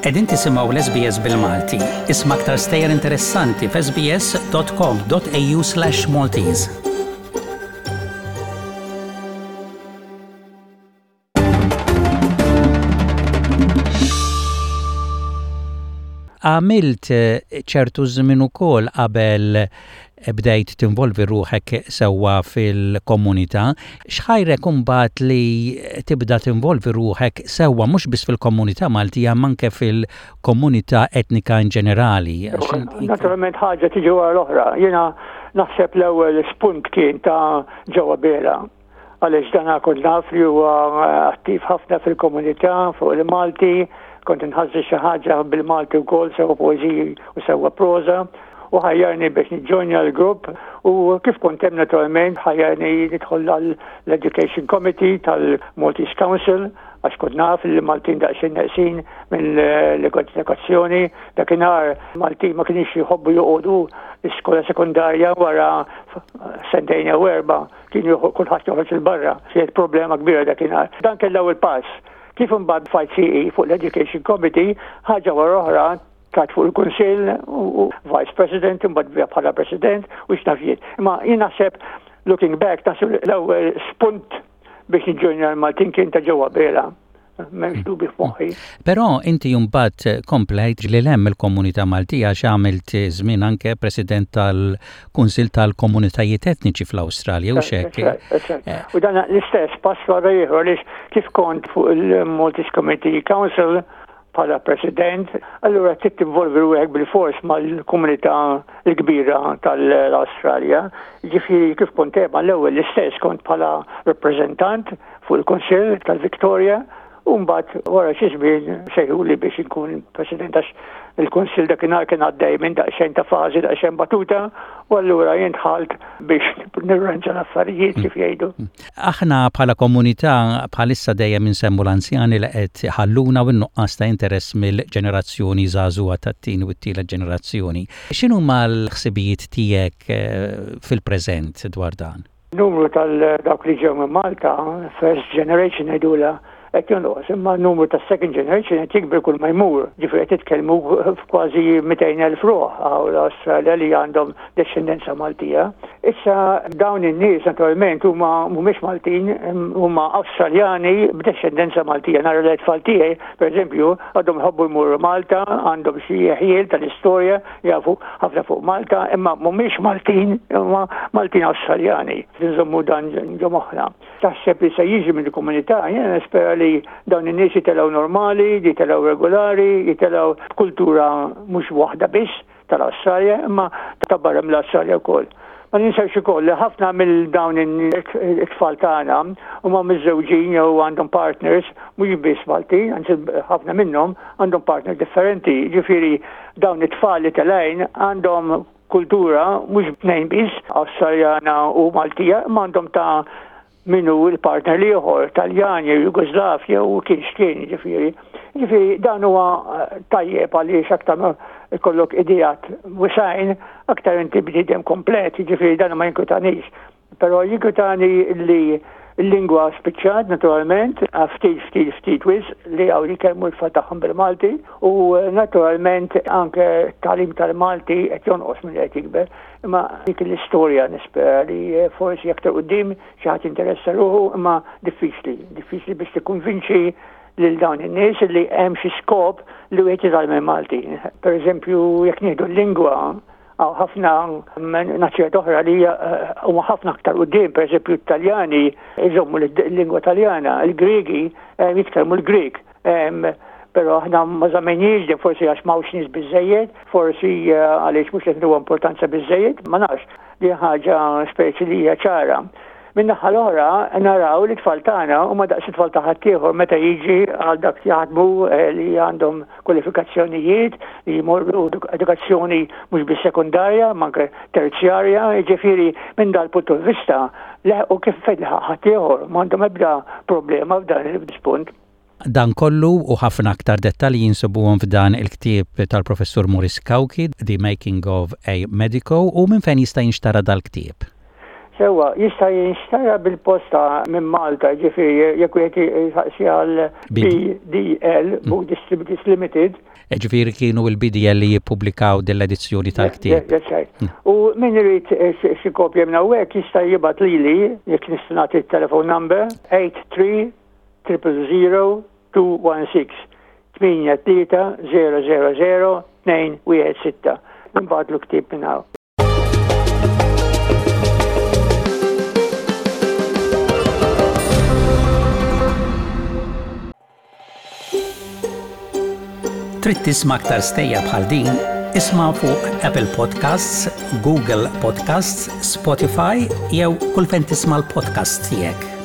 Qegħdin tisimgħu l-SBS bil-Malti. Isma' aktar stejjer interessanti f'sbs.com.au/Maltese. Għamilt ċertu żmien ukoll qabel bdejt tinvolvi ruħek sewwa fil-komunità. X'ħajrek imbagħad li tibda tinvolvi ruħek sewwa mhux biss fil-komunità Maltija imma anke fil-komunità etnika in ġenerali? Naturalment ħaġa tiġi wara l-oħra. Jiena naħseb l-ewwel spunt kien ta' ġewwa Bela. Għaliex dan kont naf li huwa attiv ħafna fil-komunità fuq il-Malti, kont inħażżi xi ħaġa bil-Malti wkoll sewa poeżiji u sewwa proża u ħajjarni biex niġġojnja l-grupp u kif kont hemm naturalment ħajjarni nidħol għall-Education Committee tal-Maltese Council għax kont naf li Maltin daqsxejn neqsin minn l-edukazzjoni. Dakinhar Maltin ma kienx jħobbu joqogħdu l-iskola sekondarja wara sentejn jew erba' Kien kulħadd joħroġ 'il barra. Kienet problema kbira dakinhar. Dan kien l-ewwel pass. Kif imbagħad fajt sieqi fuq l-Education Committee, ħaġa wara oħra tlajt fuq il-Kunsill u Vice President, imbagħad bija bħala President u x'naf jien. Imma jien naħseb looking back, naħseb l-ewwel spunt biex niġġojnja l-Maltin kien ta' ġewwa Bela. M'hemmx dubju f'moħħi. Però inti mbagħad komplejt lil hemm il-komunità Maltija għax għamilt żmien anke President tal-Kunsill tal-Komunitajiet Etniċi fl-Awstralja u x'hekk. U dan l-istess pass wara ieħor għaliex kif kont fuq il-Maltese Community Council bħala President, allura trid tinvolvi ruħek bilfors mal-komunità l-kbira tal-Awstralja. Ġifieri kif kont hemm għall-ewwel l-istess kont bħala rappreżentant fuq il-Kunsill tal-Victoria u mbagħad wara xi żmien sejħuli biex inkun President għax il-Kunsill dakinhar kien għaddej minn daqsxejn ta' fażi daqsxejn batuta u allura jien dħalt biex nirranġa l-affarijiet kif jgħidu. Aħna bħala komunità bħalissa dejjem insemmu l-anzjani li qed iħalluna u n-nuqqas ta' interess mill-ġenerazzjoni żagħżugħa tat-tieni u t-tielet ġenerazzjoni. X'inhuma l-ħsibijiet tiegħek fil-preżent dwar dan? Numru tal-dawk li ġew minn Malta, first generation ngħidulha, qed jonqos, imma n-numru tas-second generation qed jikber kull ma jmur. Ġifieri qed titkellmu f'kważi 200,000 ruħ hawn l-Awstralja li għandhom dexxendenza Maltija. Issa dawn in-nies naturalment huma mhumiex Maltin, huma Awstraljani b'dexxendenza Maltija. Nara li t-tfal tiegħi, pereżempju, għadhom jħobbu jmorru Malta, għandhom xi ħjiel tal-istorja, jafu ħafna fuq Malta, imma mhumiex Maltin, imma Maltin Awstraljani. Nżommu dan ġo moħħna. Taħseb li se jiġi mill-komunità, jiena nispera li dawn in-nies jitilgħu normali, jitilgħu regolari, jitilgħu b'kultura mhux waħda biss tal-Awstralja, imma ta' barra mill-Awstralja wkoll. Ma ninsewx ukoll li ħafna mill dawn it-tfal tagħna huma miżżewġin jew għandhom partners mhux biss Maltin, anzi ħafna minnhom għandhom partner differenti. Ġifieri dawn it-tfal li telgħin għandhom kultura mhux b'tnejn biss, Awstraljana u Maltija, imma għandhom ta' min hu l-partner l-ieħor, Taljan jew Jugoslav jew kien x'kien, ġifieri. Ġifieri dan huwa eh, tajjeb għaliex aktar ma jkollok ideat wisajn, aktar inti bniedem komplet, ġifieri dan ma jinkwitanix. Però jinkwitani li l-lingwa spiċċat naturalment, ftit ftit ftit wis li hawn jitkellmu l-tfal tagħhom bil-Malti u eh, naturalment anke t-tagħlim tal-Malti qed jonqos minn qed jikber. Imma dik l-istorja nispera li eh, forsi aktar quddiem xi ħadd interessa ruħu imma diffiċli, diffiċli biex tikkonvinċi lil dawn in-nies li hemm xi skop li wieħed jitgħallem il-Malti. Per eżempju, jekk nieħdu l-lingwa, hawn ħafna nazzjonijiet oħra li eh, huma ħafna aktar quddiem, per eżempju t-Taljani jżommu l-lingwa Taljana, il-Griegi eh, jitkellmu l-Grieg. Però aħna ma żammejniex din forsi għax m'hawnx nies biżejjed, forsi eh, għaliex mhux qed ntuha importanza biżejjed, ma nafx. Din ħaġa speċi li hija ċara. Min-naħa l-oħra naraw li tfal tagħna huma daqs it-tfal ta' ħaddieħor meta jiġi għal dak jaħdmu eh, li għandhom kwalifikazzjonijiet li jmorru edukazzjoni mhux biss sekundarja, ma anke terzjarja, jiġifieri minn dal-punt vista leħqu kif fejn ħaddieħor m'għandhom ebda problema f'dan il-punt. Dan kollu u ħafna aktar dettalji jinsibuhom f'dan il-ktieb tal-Professur Maurice Cauchi, The Making of a Medico, u minn fejn jista' jinxtara dal-ktieb? Sewwa, jista' jinxtara bil-posta minn Malta, ġifieri jekk wieħed jistaqsi għal BDL, Book Distributors Limited. Ġifieri kienu l-BDL li jippubblikaw din l-edizzjoni tal-ktieb. That's right. U min irid xi kopja minn hawnhekk jista' jibgħat lili, jekk nista' nagħti t-telephone number, 83 000 216 83 000 216. Nibgħatlu ktieb minn hawn. Trid tisma' aktar stejjer bħal din? Isma' fuq Apple Podcasts, Google Podcasts, Spotify jew kull fejn tisma' l-podcasts tiegħek.